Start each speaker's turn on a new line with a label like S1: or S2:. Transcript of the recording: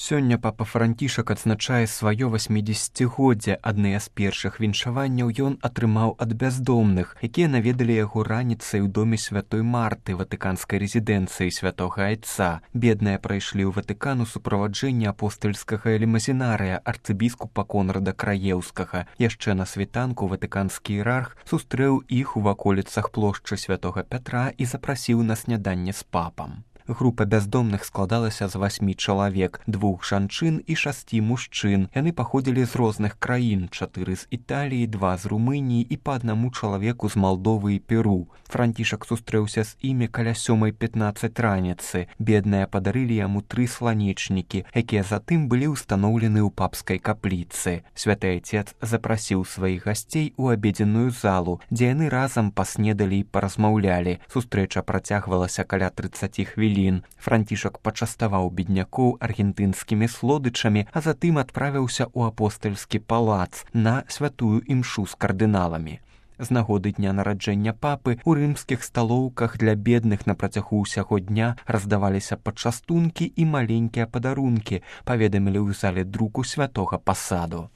S1: Сёння папа Францішак адзначае сваё 80годдзе. Адныя з першых віншаванняў ён атрымаў ад бяздомных, якія наведалі яго раніцай у доме святой Марты, ватыканскай рэзідэнцыі святога Айца. Бедныя прайшлі ў Ватыкан у суправаджэнні апостальскага лімазінарыя арцыбіскупа Конрада Краеўскага. Яшчэ на світанку ватыканскі іерарх сустрэў іх у ваколіцах плошчы святога Пятра і запрасіў на сняданне з папам. Група бяздомных складалася з 8 чалавек, 2 жанчын і 6 мужчын. Яны паходзілі з розных краін, 4 з Італіі, 2 з Румыніі і па аднаму чалавеку з Малдовы і Перу. Францішак сустрэўся з імі каля 7:15 раніцы. Бедныя падарылі яму 3 сланечнікі, якія затым былі ўстаноўлены ў папскай капліцы. Святы Айцец запрасіў сваіх гасцей у абедзенную залу, дзе яны разам паснедалі і паразмаўлялі. Сустрэча працягвалася каля 30 хвілін. Францішак пачаставаў беднякоў аргентынскімі слодычамі, а затым адправіўся ў апостальскі палац на святую імшу з кардыналамі. З нагоды дня нараджэння папы у рымскіх сталоўках для бедных на працягу ўсяго дня раздаваліся пачастункі і маленькія падарункі, паведамілі ў зале друку святога Пасаду.